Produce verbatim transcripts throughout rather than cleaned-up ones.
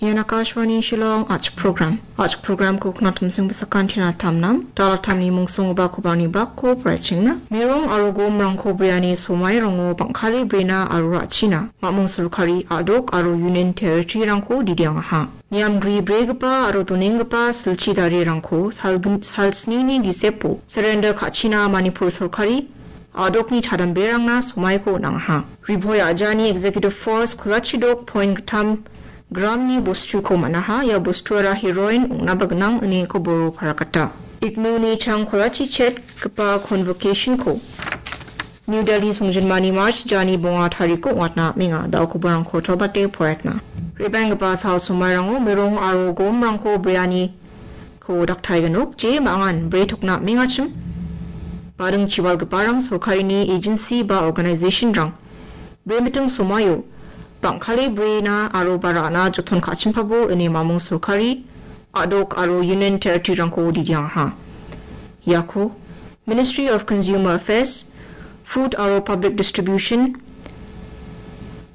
Ian Akashvani Shillong Achik Program. Achik Programko knatumsing besakan tina tamnam, dalatamni mungsonggipa kobarni bakko poraichengna. Mirong aro gomrangko breani somairango bang·kale brena aro ra·china. Mamung sorkari, a·dok aro Union Territory-rangko didiangaha. Niamgri bregipa aro donenggipa silchi darirangko salgin-, salsnini gisepo surrender ka·china Manipur sorkari a·dokni chadamberangna somaiko on·angaha. Ribhoi a·jani Executive Force kolachidok point gittam gramni bostuko man·aha. Ia bostuara heroin ong·naba gnang ine koboro parakata. Ignoni chang kolachi chetgipa convocation-ko New Delhi songjinmani March jani bonga tariko ong·atna amenga. Da·o koborangko tobate poraiatna. Rebenggipa sal somairango mirong aro gomrangko breani ko daktaigenok je mangan bre tokna mengachim. Baring chiwalgiparang sorkarini agency ba organization-rang bremiting somaio bang·kale brena aro ba ra·na joton ka·chimpabo ine mamung sorkari, a·dok aro Union Territory-rangko didiangaha. Iako Ministry of Consumer Affairs, Food aro Public Distribution,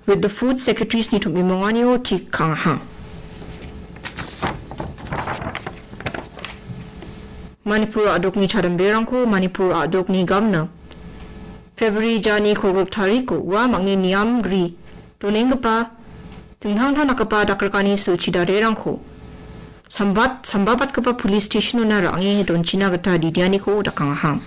with the Food Secretaries-ni tom·bimonganio tik ka·angaha. Manipur a·dokni chadamberangko Manipur a·dokni gamna February jani kolgriktariko ua mangni niamgri donenggipa dingtang dingtang dakgipa dakrikani silchi darirangko sambat, sambabatgipa police station-ona ra·ange donchina gita didianiko dakangaha.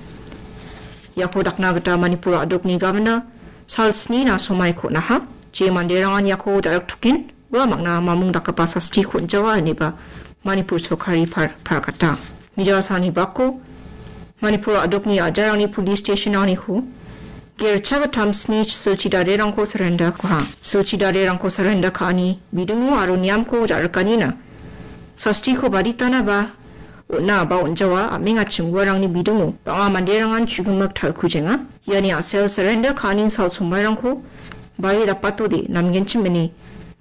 Iako dakna gita Manipur a·dokni gamna salsnina somaiko on·aha. Je manderangan iako ja·riktoken ua mangna mamung dakgipa sastiko on·jawa ineba Manipur sorkari par-, parakata. Mijasani bako Manipur a·dokni a·jarangni police station-aniko gercha gittam sni silchi darirangko surrender ka·aha. Silchi darirangko surrender ka·ani bidingo aro niamko ja·rikanina sastiko baditana ba on·a ba on·jawa a·mengachim uarangni bidingo bang·a manderangan chu·gimik talkujenga. Iani a·sel surrender ka·ani sal sombairangko bari dapatode namgenchim ine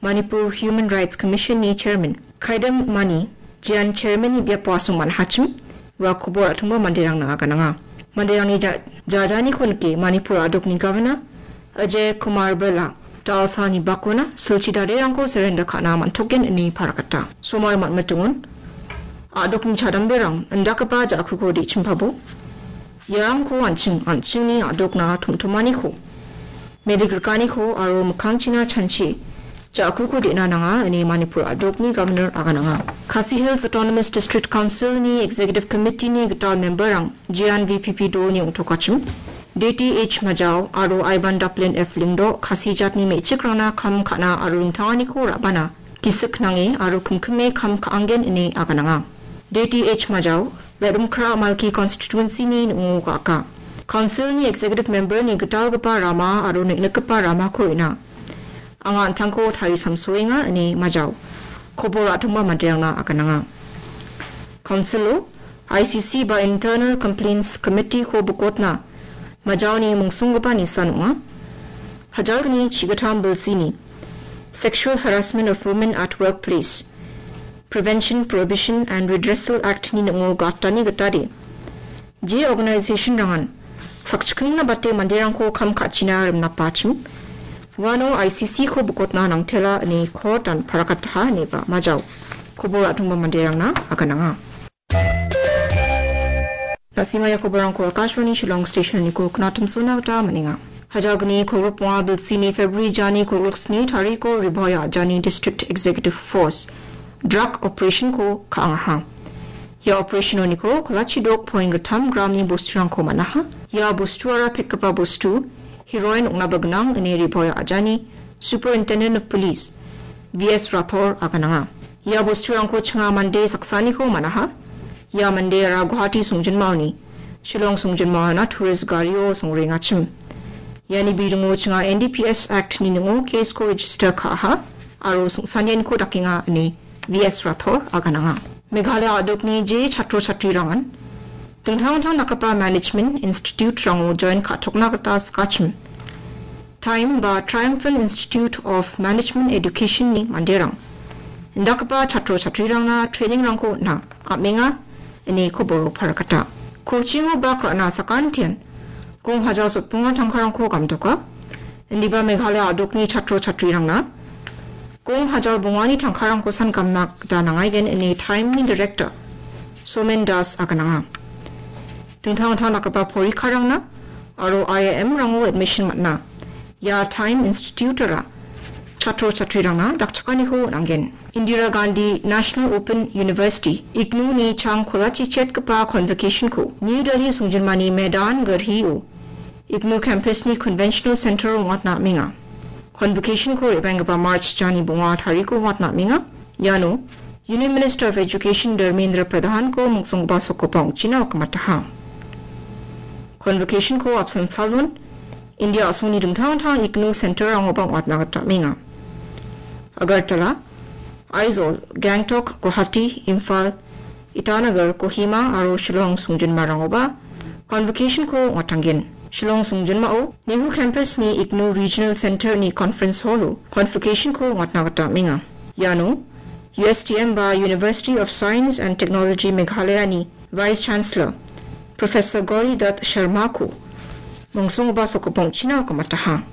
Manipur Human Rights Commission-ni chairman Khaidam Mani jean chairman-ni biapo asong man·hachim ua kobor a·tongba manderangna agananga. Manderangni ja-, jajaniko nike Manipur a·dokni governor Ajay Kumar Bhalla da·alsani bakona silchi darirangko surrender ka·na man·token ine parakata. Somar man·mitingon a·dokni chadamberang indakgipa ja·kuko de·chimpabo iarangko an·ching an·chingni a·dokna tom·tomaniko medigrikaniko aro mikkangchina chanchi ja·kuko de·na nanga ine Manipur a·dokni governor agananga. Khasi Hills Autonomous District Council-ni Executive Committee-ni gital member-rang Jiran V P P dolni ong·tokachim, D T H Majao aro Ivan Daplin F Lyngdoh Khasi jatni me·chikrangna kam ka·na aro ringtanganiko ra·bana gisik nange aro kimkime kam ka·angen ine agananga. D T H Majao Lerumkra Malki constituency-ni ning·o ga·aka. Council-ni executive member-ni gitalgipa rama aro neng·nikgipa ramako ina anga an·tangko tarisamsoenga ine Majao kobor a·tongba manderangna agananga. Council-o I C C ba Internal Complaints Committee-ko bokotna Majaoni mungsonggipa nisan ong·a. Hajalgni chigittam bilsini Sexual Harassment of Women at Workplace, Prevention, Prohibition and Redressal Act-ni ning·o gatani gitade je organization-rangan sakchikningna bate manderangko kam ka·china rimnapachim, uano I C C-ko bokotna nangtela ine court-an parakataha ineba Majao kobor a·tongba manderangna agananga. Na·simang ia koborrangko Akashvani Shillong Station-niko knatumsona gita man·enga. Hajalgni kolgrikbonga bilsini February jani kolgriksni tariko Ribhoi a·jani District Executive Force drug operation-ko ka·angaha. Ia operation-oniko kolachi dok point gittam gramni bosturangko man·aha. Ia bostuara pekgipa bostu heroin ong·naba gnang ine Ribhoi a·jani Superintendent of Police V S Rathore agananga. Ia bosturangko chinga mande saksaniko man·aha. Ia mandeara Guwahati songjinmaoni Shillong songjinmaona tourist gario songrengachim. Iani bidingo chinga N D P S Act-ni ning·o case-ko register ka·aha aro sing·sanianiko dakenga ine V S Rathore agananga. Meghalaya a·dokni je chatro chatrirangan dingtang dingtang dakgipa management institute-rango join ka·tokna gita sikachim. Time ba Triumphant Institute of Management Education-ni manderang indakgipa chatro chatrirangna training-rangko on·a, am·enga ine koboro parakata. Coaching-o bak ra·na sakantian gong hajal sotbonga tangkarangko gamdoka. Indiba Meghalaya a·dokni chatro chatrirangna Gong hajal bongani tangkarangko sangamna gita nangaigen ine Time-ni Director Somen Das agananga. Dingtang dingtang dakgipa porikarangna aro I I M-rango admission man·a. Ia Time Institute-ara chatro chatrirangna dakchakaniko on·angen. Indira Gandhi National Open University, IGNOU-ni chang kolachi chetgipa convocation-ko New Delhi songjinmani Maidan Garhi-o IGNOU campus-ni Conventional Center-o ong·atna amenga. Convocation-ko re·baenggipa March jani bonga tariko ong·atna amenga. Iano Union Minister of Education Dharmendra Pradhan-ko mongsonggipa sokgipa ong·china wakkamataha. Convocation-ko apsan salon India a·songni dingtang dingtang IGNOU center-rangoba ong·atna gita amenga. Agartala, Aizawl, Gangtok, Guwahati, Imphal, Itanagar, Kohima aro Shillong songjinmarangoba convocation-ko ong·atangen. Shillong songjinmao Nehru Campus-ni IGNOU Regional Center-ni Conference Hall-o convocation-ko ong·atna gita amenga. Iano U S T M ba University of Science and Technology Meghalaya-ni Vice Chancellor Professor Gauri Dutt Sharma-ko mongsonggipa sokgipa ong·china wakkamataha.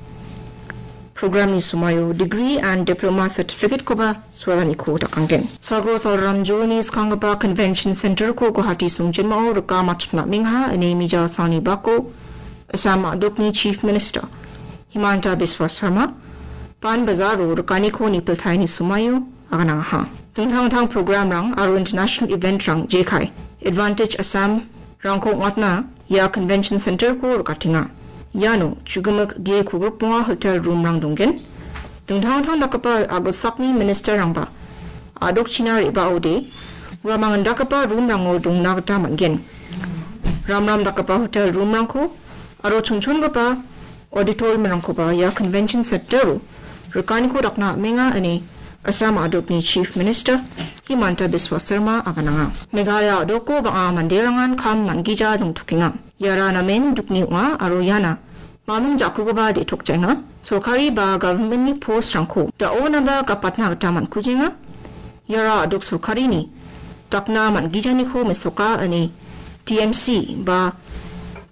Program-ni somoio degree and diploma certificate-koba soalaniko dakangen. Sagro Salram Jolni skanggipa Convention Center-ko Guwahati songjinmao rika matchotna amengaha ine mijal sangni bako Assam a·dokni Chief Minister Himanta Biswa Sarma Pan Bazar-o rikaniko nipiltaini somoio aganangaha. Dingtang dingtang program-rang aro international event-rang jekai Advantage Assam-rangko ong·atna ia Convention Center-ko rikatenga. Iano chu·gimik ge kogrik bonga hotel room-rang donggen. Dingtang dingtang dakgipa agilsakni minister-rangba a·dokchina re·baode uamang indakgipa room-rango dongna gita man·gen. Ramram dakgipa hotel room-rangko aro chonchongipa auditorium-rangkoba ia Convention Center-o rikaniko dakna amenga ine Assam a·dokni Chief Minister Himanta Biswa Sarma agananga. Meghalaya a·doko bang·a manderangan kam man·gija dongtokenga. Iara namen dukni ong·a aro iana mamung jakkugipa de·tokjaenga. Sorkari ba government-ni post-rangko da·onaba gapatna gita man·kujenga. Iara a·dok sorkarini dakna man·gijaniko mesoka ine T M C ba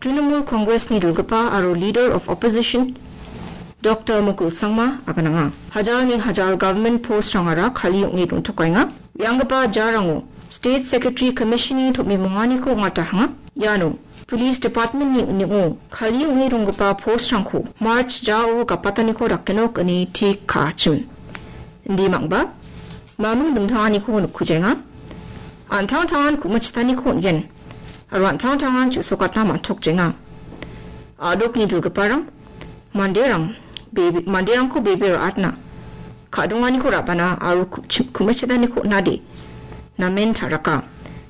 Trinamool Congress-ni dilgipa aro Leader of Opposition Doctor Mukul Sangma agananga. Hajalni hajal government post-rangara kali ong·e dongtokaenga. Re·anggipa jarango State Secretary Commission-ni tom·e monganiko ong·atahanga. Iano Police Department-ni ning·o kali ong·e donggipa post-rangko March jao gapataniko dakenok ine tik ka·achim. Indi mangba mamung dingtanganiko nikkujaenga. An·tangtangan ku·mitchitaniko on·gen aro an·tangtangan chu·sokatna man·tokjaenga. A·dokni dilgiparang manderang bebe-, manderangko bebe ra·atna ka·donganiko ra·bana aro ku-, chi-, ku·mitchitaniko on·ade namen ta·raka.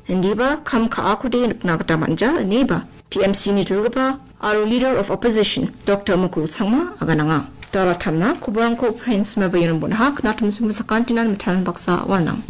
Indiba kam ka·akode nikna gita man·ja ineba T M C-ni dilgipa aro Leader of Opposition Doctor Mukul Sangma agananga. Dalatamna koborangko Prince Mabayan Bonaha knatum sumu sakantinan mitan baksa walnang.